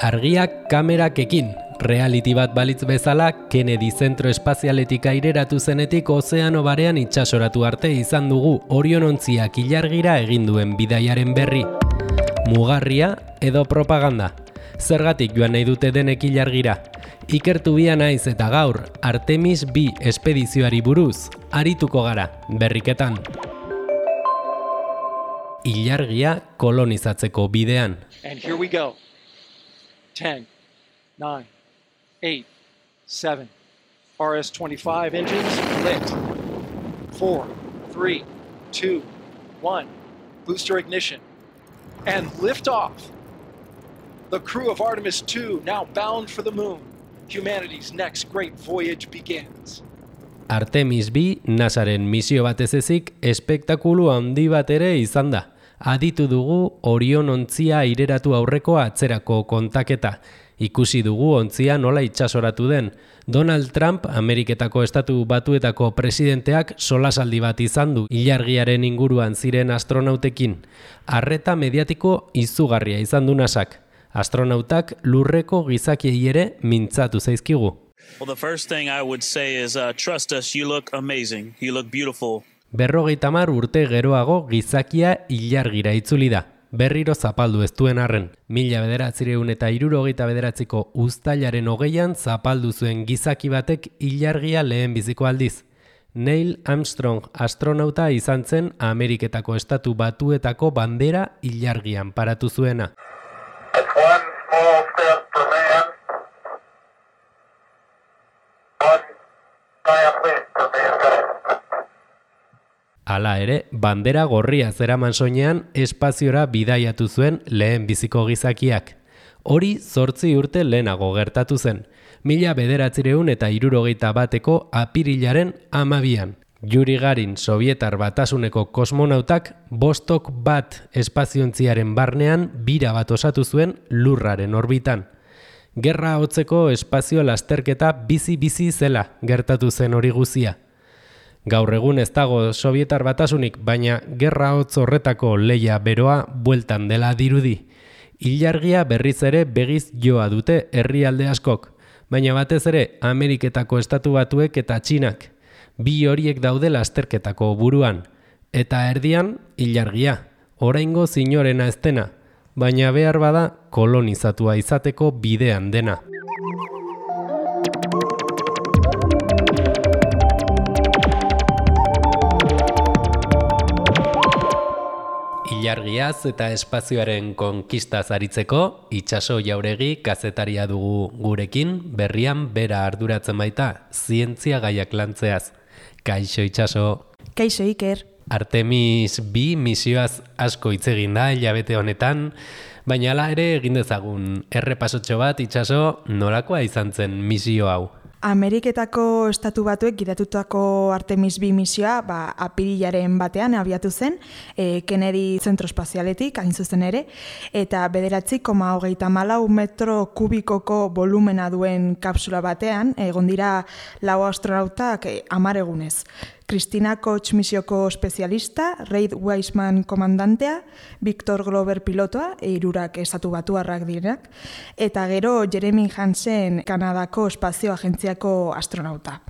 Argiak kamerakekin, reality bat balitz bezala, Kennedy zentro espazialetik aireratu zenetik ozeano barean itsasoratu arte izan dugu Orionontziak ilargira egin duen bidaiaren berri. Mugarria edo propaganda. Zergatik joan nahi dute denek ilargira. Ikertu bia naiz eta gaur, Artemis B espedizioari buruz, arituko gara, berriketan. Ilargia kolonizatzeko bidean. And here we go. 10, 9, 8, 7. RS-25 engines lit. 4, 3, 2, 1. Booster ignition. And liftoff. The crew of Artemis II now bound for the moon. Humanity's next great voyage begins. Artemis B NASAren misio batez ezik espektakulu handi bat ere izan da. Aditu dugu Orionontzia aireratu aurreko atzerako kontaketa. Ikusi dugu ontzia nola itsasoratu den. Donald Trump, Ameriketako Estatu Batuetako presidenteak solasaldi bat izan du ilargiaren inguruan ziren astronautekin. Arreta mediatiko izugarria izan du NASAk. Astronautak lurreko gizakiei ere mintzatu zaizkigu. Well, the first thing I would say is trust us, you look amazing, you look beautiful. 50 urte geroago gizakia ilargira itzuli da. Berriro zapaldu ez duen arren. 1969ko uztailaren 20an zapaldu zuen gizaki batek ilargia lehenbiziko aldiz. Neil Armstrong astronauta izan zen Ameriketako Estatu Batuetako bandera ilargian paratu zuena. Hala ere, bandera gorria zeraman soinean espaziora bidaiatu zuen lehen biziko gizakiak. Hori 8 urte lehenago gertatu zen, 1961eko apirilaren 12an. Yuri Garin Sobietar Batasuneko kosmonautak Vostok 1 espaziontziaren barnean bira bat osatu zuen lurraren orbitan. Gerra hotzeko espazio lasterketa bizi zela gertatu zen hori guzia. Gaur egun ez dago Sobietar Batasunik, baina gerra hotz horretako lehia beroa bueltan dela dirudi. Ilargia berriz ere begiz joa dute herrialde askok, baina batez ere Ameriketako Estatu Batuek eta Txinak. Bi horiek daude lasterketako buruan. Eta erdian, ilargia. Oraingo zinorena ez dena, baina behar bada kolonizatua izateko bidean dena. Ilargiaz eta espazioaren konkistaz aritzeko, Itxaso Jauregi kazetaria dugu gurekin, berrian bera arduratzen baita, zientzia gaiak lantzeaz. Kaixo Itxaso. Kaixo Iker. Artemis B misioaz asko hitz egin da hilabete honetan, baina hala ere egin dezagun errepasotxo bat Itxaso, nolakoa izan zen misio hau? Ameriketako Estatu Batuek gidatutako Artemis B misioa apirilaren batean abiatu zen, Kennedy zentro espazialetik, hain zuzen ere, eta 9,34 metro kubikoko volumena duen kapsula batean, egon dira 4 astronautak 10 egunez. Christina Koch misioko espezialista, Reid Wiseman komandantea, Victor Glover pilotoa, 3 Estatu Batuarrak direnak, eta gero Jeremy Hansen Kanadako espazio agentziako astronauta.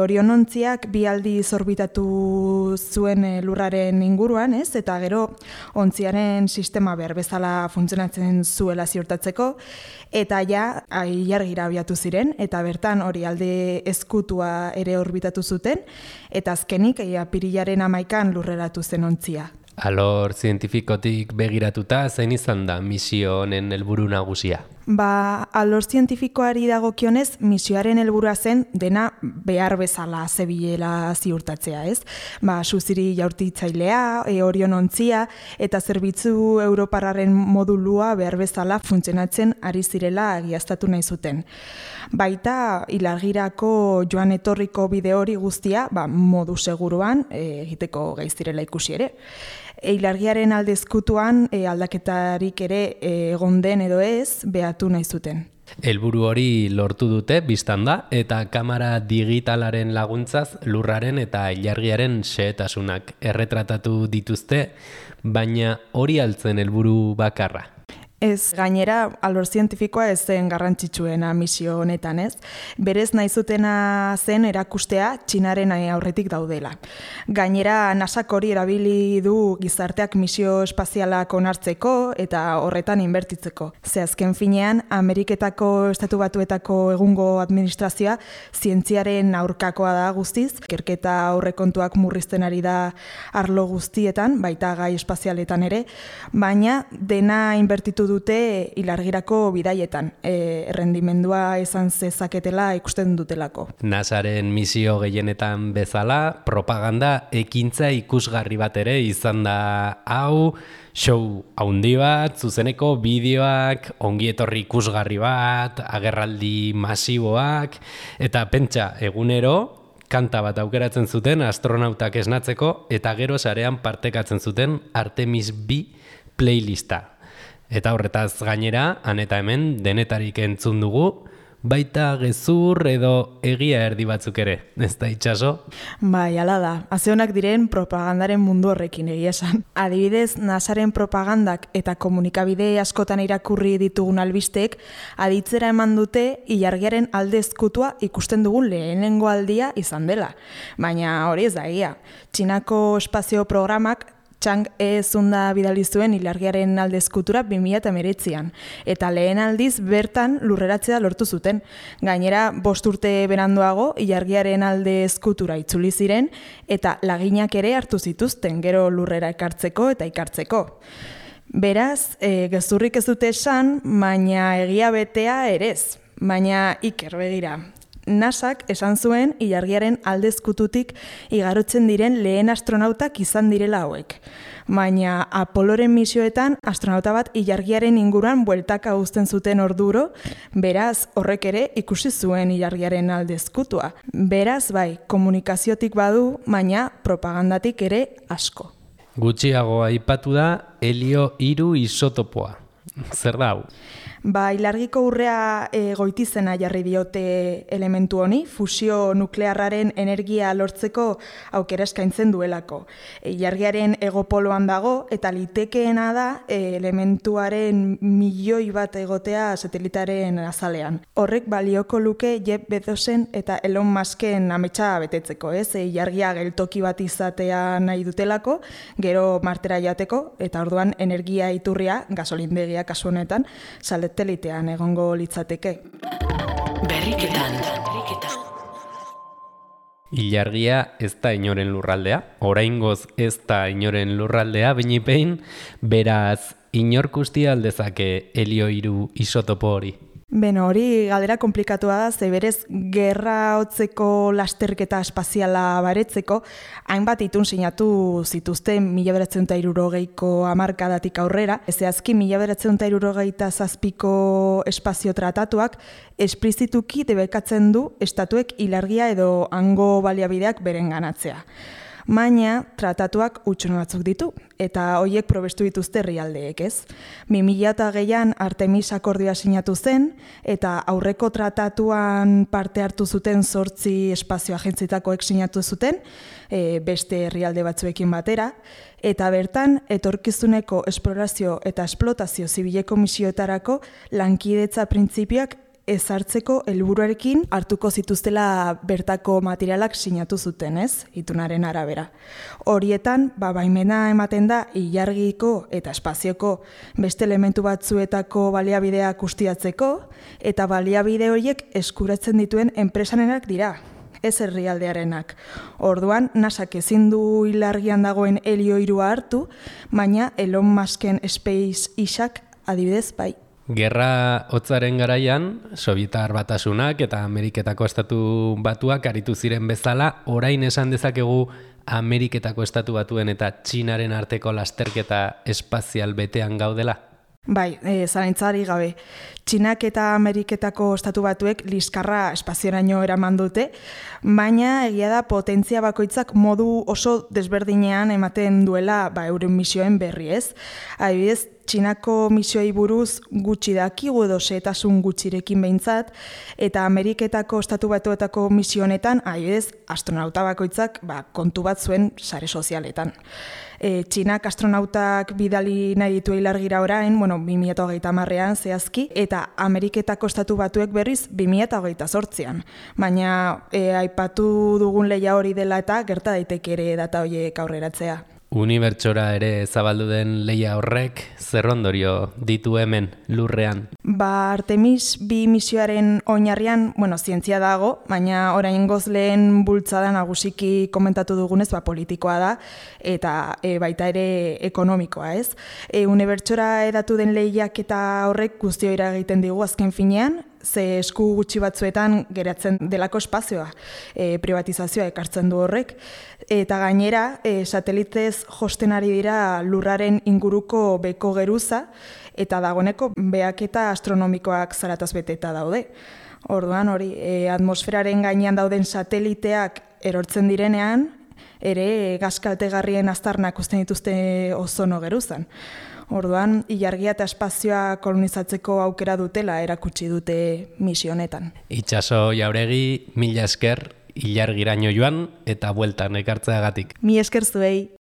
Orionontziak 2 aldiz orbitatu zuen lurraren inguruan, eta gero ontziaren sistema behar bezala funtzionatzen zuela ziurtatzeko, eta ja ilargira abiatu ziren, eta bertan hori alde ezkutua ere orbitatu zuten, eta azkenik apirilaren 11an lurreratu zen ontzia. Alor zientifikotik begiratuta zein izan da misio honen helburu nagusia? Alor zientifikoari dagokionez, misioaren helburua zen dena behar bezala zebilela ziurtatzea, ez? Suziri jaurtitzailea, Orionontzia eta zerbitzu europarraren modulua behar bezala funtzionatzen ari zirela egiaztatu nahi zuten. Baita, ilargirako joan etorriko bide hori guztia, modu seguruan egiteko gai zirela ikusi ere. Ilargiaren alde ezkutuan aldaketarik ere egon den edo ez behatu nahi zuten. Helburu hori lortu dute bistan da, eta kamera digitalaren laguntzaz lurraren eta ilargiaren xehetasunak erretratatu dituzte, baina hori altzen helburu bakarra. Ez, gainera, alor zientifikoa ez zen garrantzitsuena misio honetan, ez? Berez nahi zutena zen erakustea Txinaren aurretik daudela. Gainera, NASAk hori erabili du gizarteak misio espazialak onartzeko eta horretan inbertitzeko. Ze azken finean, Ameriketako Estatu Batuetako egungo administrazioa zientziaren aurkakoa da guztiz, ikerketa aurrekontuak murrizten ari da arlo guztietan, baita gai espazialetan ere, baina dena inbertitu dute ilargirako bidaietan, errendimendua izan zezaketela ikusten dutelako. NASAren misio gehienetan bezala, propaganda ekintza ikusgarri bat ere izan da hau, show haundi bat, zuzeneko bideoak, ongietorri ikusgarri bat, agerraldi masiboak, eta pentsa egunero, kanta bat aukeratzen zuten astronautak esnatzeko, eta gero sarean partekatzen zuten Artemis B playlista. Eta horretaz gainera, han eta hemen denetarik entzun dugu, baita gezur edo egia erdi batzuk ere, ez da itxaso? Bai, hala da. Azeonak diren propagandaren mundu horrekin egia esan. Adibidez, NASAren propagandak eta komunikabide askotan irakurri ditugun albisteek aditzera eman dute ilargiaren alde ezkutua ikusten dugun lehenengo aldia izan dela. Baina hori ez da egia. Txinako espazio programak Chang'e zunda bidali zuen ilargiaren alde ezkutura 2019an, eta lehen aldiz bertan lurreratzea lortu zuten. Gainera, 5 urte beranduago ilargiaren alde ezkutura itzuli ziren, eta laginak ere hartu zituzten, gero lurrera ekartzeko eta ikartzeko. Beraz, gezurrik ez dute esan, baina egia betea ere ez, baina iker begira. NASAk esan zuen ilargiaren alde ezkututik igarotzen diren lehen astronautak izan direla hauek. Baina Apoloren misioetan astronauta bat ilargiaren inguruan bueltaka uzten zuten orduro, beraz horrek ere ikusi zuen ilargiaren alde ezkutua. Beraz bai, komunikaziotik badu, baina propagandatik ere asko. Gutxiago aipatu da helio 3 isotopoa. Zer da hau? Ba, ilargiko urrea goitizena jarri diote elementu honi, fusio nuklearraren energia lortzeko aukera eskaintzen duelako. Ilargiaren egopoloan dago eta litekeena da elementuaren milioi bat egotea satelitaren azalean. Horrek balioko luke Jeff Bezosen eta Elon Musken ametsa betetzeko, ez? Ilargia geltoki bat izatea nahi dutelako, gero Martera jateko, eta orduan energia iturria, gasolindegia kasu honetan, satelitean egongo litzateke. Berriketan. Ilargia ez da inoren lurraldea, oraingoz ez da inoren lurraldea, behin, beraz, inork ustia aldezake helio 3 isotopo hori. Beno, hori galdera komplikatua da, ze berez gerra hotzeko lasterketa espaziala baretzeko, hainbat itun sinatu zituzten 1960ko hamarkadatik aurrera, zehazki 1967ko espazio tratatuak esplizituki debekatzen du estatuek ilargia edo hango baliabideak berenganatzea. Baina tratatuak hutsun batzuk ditu, eta horiek probestu dituzte herrialdeek, ez? 2006an Artemis akordioa sinatu zen, eta aurreko tratatuan parte hartu zuten 8 espazio agentzietakoek sinatu zuten, beste herrialde batzuekin batera, eta bertan etorkizuneko esplorazio eta esplotazio zibileko misioetarako lankidetza printzipioak ezartzeko helburuarekin hartuko zituztela bertako materialak sinatu zuten, ez? Itunaren arabera. Horietan, baimena ematen da ilargiko eta espazioko beste elementu batzuetako baliabideak ustiatzeko, eta baliabide horiek eskuratzen dituen enpresarenak dira, ez herrialdearenak. Orduan, NASAk ezin du ilargian dagoen helio 3 hartu, baina Elon Musken SpaceX-ak adibidez bai. Gerra hotzaren garaian, Sobietar Batasunak eta Ameriketako Estatu Batuak aritu ziren bezala, orain esan dezakegu Ameriketako Estatu Batuen eta Txinaren arteko lasterketa espazial betean gaudela? Bai, zalantzari gabe. Txinak eta Ameriketako Estatu Batuek liskarra espazioraino eraman dute, baina egia da potentzia bakoitzak modu oso desberdinean ematen duela euren misioen berri, ez? Adibidez, Txinako misioei buruz gutxi dakigu edo xehetasun gutxirekin behintzat, eta Ameriketako Estatu Batuetako misio honetan, adibidez, astronauta bakoitzak kontu bat zuen sare sozialetan. Txinak astronautak bidali nahi ditu ilargira orain, 2030ean zehazki, eta Ameriketako Estatu Batuek berriz 2028an. Baina aipatu dugun lehia hori dela eta gerta daiteke ere data horiek aurreratzea. Unibertsora ere zabaldu den lehia horrek zer ondorio ditu hemen lurrean? Artemis 2 misioaren oinarrian, zientzia dago, baina oraingoz lehen bultzada nagusiki komentatu dugunez, politikoa da, eta baita ere ekonomikoa, ez? Unibertsora edatu den lehiak eta horrek guztio eragiten digu azken finean, ze esku gutxi batzuetan geratzen delako espazioa, privatizazioa ekartzen du horrek, eta gainera satelitez josten ari dira lurraren inguruko beko geruza, eta dagoeneko behaketa astronomikoak zarataz beteta daude. Orduan hori, atmosferaren gainean dauden sateliteak erortzen direnean, ere gazkaltegarrien aztarnak uzten dituzte ozono geruzan. Orduan, ilargia eta espazioa kolonizatzeko aukera dutela erakutsi dute misio honetan. Itxaso Jauregi, mila esker, ilargiraino joan eta bueltan ekartzeagatik. Mi esker zuei.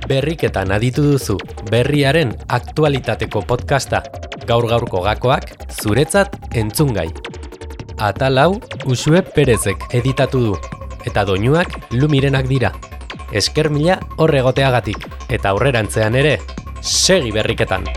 Berriketan aditu duzu, berriaren aktualitateko podcasta. Gaur-gaurko gakoak zuretzat entzungai. Atal hau Uxue Perezek editatu du, eta doinuak Lumirenak dira. Esker mila hor egoteagatik, eta aurrerantzean ere, segi berriketan!